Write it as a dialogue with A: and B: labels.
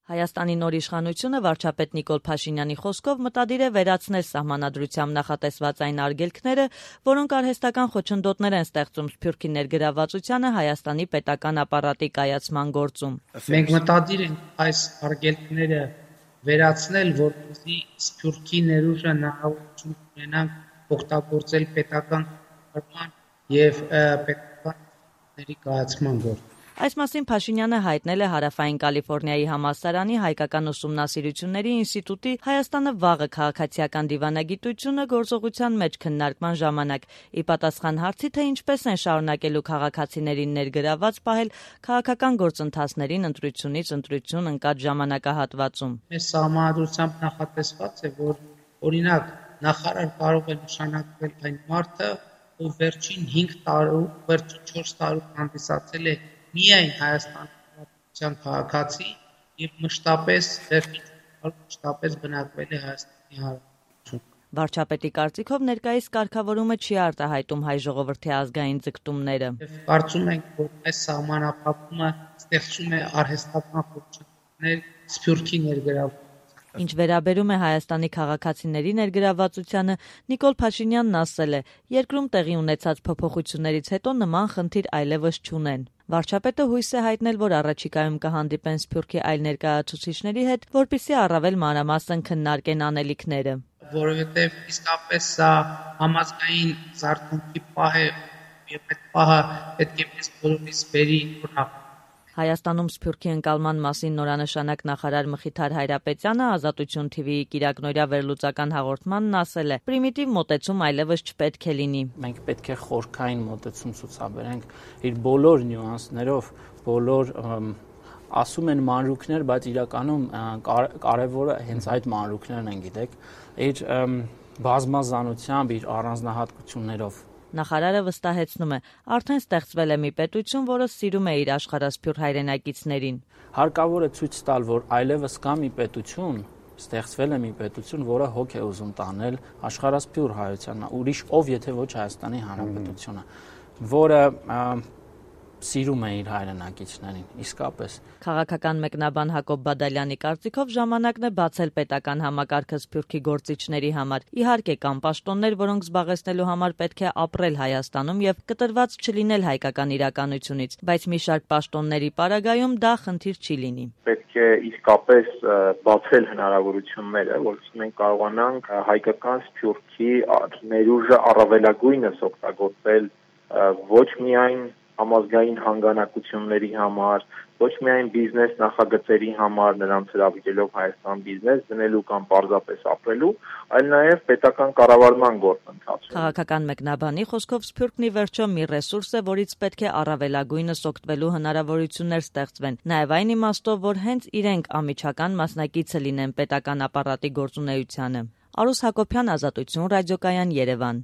A: Հայաստանի նոր իշխանությունը վարչապետ Նիկոլ Փաշինյանի խոսքով մտադիր է վերացնել սահմանադրությամբ նախատեսված այն արգելքները, որոնք արհեստական խոչընդոտներ են ստեղծում Սփյուռքի ներգրավվածությանը Հայաստանի պետական ապարատի կայացման գործում։
B: Մենք մտադիր ենք այս արգելքները վերացնել, որպեսզի Սփյուռքի ներուժը հնարավորություն ունենանք օգտագործել պետական կառավարման եւ պետական կայացման գործում։
A: Այս մասին Փաշինյանը հայտնել է Հարավային Կալիֆոռնիայի համալսարանի հայկական ուսումնասիրությունների ինստիտուտի Հայաստանը վաղը քաղաքացիական դիվանագիտությունը գործողության մեջ քննարկման ժամանակ, ի պատասխան հարցի, թե ինչպես են շարունակելու քաղաքացիներին ներգրավված պահել քաղաքական գործընթացներին ընտրությունից ընտրություն ընկած ժամանակահատվածում։
B: Մեր սահմանադրությամբ նախատեսված է, որ օրինակ նախարար կարող է նշանակվել այն մարդը, ով վերջին 5 տարում, վերջին 4 տարում հանդիսացել է միայն Հայաստանի քաղաքացի եւ մշտապես բնակվել է Հայաստանի Հանրապետությունում։
A: Վարչապետի կարծիքով ներկայիս կարգավորումը չի արտահայտում հայ ժողովրդի ազգային ձգտումները։
B: Կարծում ենք, որ այս սահմանափակումը ստեղծում է արհեստական խոչընդոտներ Սփյուռքի ներգրավվածության։
A: Ինչ վերաբերում է Հայաստանի քաղաքացիների ներգրավվածությանը, Նիկոլ Փաշինյանն ասել է, երկրում տեղի ունեցած փոփոխություններից հետո նման խնդիր այլևս չունեն։ Վարչապետը հույս է հայտնել, որ առաջիկայում կհանդիպեն Սփյուռքի այլ ներկայացուցիչների հետ, որպեսզի առավել մանրամասն քննարկեն անելիքները։
B: Որովհետև իսկապես սա համազգային զարթոնքի պահ է եւ այդ պահը պետք է մեզ բոլորիս բերի նորմալ։
A: Հայաստանում Սփյուռքի ընկալման մասին նորանշանակ նախարար Մխիթար Հայրապետյանը Ազատություն TV-ի կիրակնօրյա վերլուծական հաղորդմանն ասել է. «Պրիմիտիվ մոտեցում այլևս չպետք է լինի։
C: Մենք պետք է խորքային մոտեցում ցուցաբերենք իր բոլոր նյուանսներով, բոլոր ասում են մանրուքներ, բայց իրականում կարևորը հենց այդ մանրուքներն են, գիտեք, իր բազմազանությամբ, իր առանձնահատկություններով։
A: Նախարարը վստահեցնում է, արդեն ստեղծվել է մի պետություն, որը սիրում է իր աշխարհասփյուռ հայրենակիցներին։
C: Հարկավոր է ցույց տալ, որ այլևս կա մի պետություն, ստեղծվել է մի պետություն, որը հոգ է ուզում տանել աշխարհասփյուռ հայությանը, ուրիշ ով եթե ոչ Հայաստանի Հանրապետությունը, որը սիրում է իր հայրենակիցներին, իսկապես։
A: Քաղաքական մեկնաբան Հակոբ Բադալյանի կարծիքով ժամանակն է բացել պետական համակարգը Սփյուռքի գործիչների համար։ Իհարկե կան պաշտոններ, որոնք զբաղեցնելու համար պետք է ապրել Հայաստանում եւ կտրված չլինել հայկական իրականությունից, բայց մի շարք պաշտոնների պարագայում դա խնդիր չի լինի։
D: Պետք է իսկապես բացել հնարավորությունները, որովհետեւ մենք կարողանանք հայկական Սփյուռքի ներուժը առավելագույնս օգտագործել ոչ միայն համազգային հանգանակությունների համար, ոչ միայն բիզնես նախագծերի համար, նրանց հրավիրելով Հայաստան բիզնես դնելու կամ պարզապես ապրելու, այլ նաև պետական կառավարման գործընթացում։
A: Քաղաքական մեկնաբանի խոսքով Սփյուռքն ի վերջո մի ռեսուրս է, որից պետք է առավելագույնս օգտվելու հնարավորություններ ստեղծվեն, նաև այն իմաստով, որ հենց իրենք անմիջական մասնակիցը լինեն պետական ապարատի գործունեությանը։ Արուս Հակոբյան, Ազատություն ռադիոկայան, Երևան։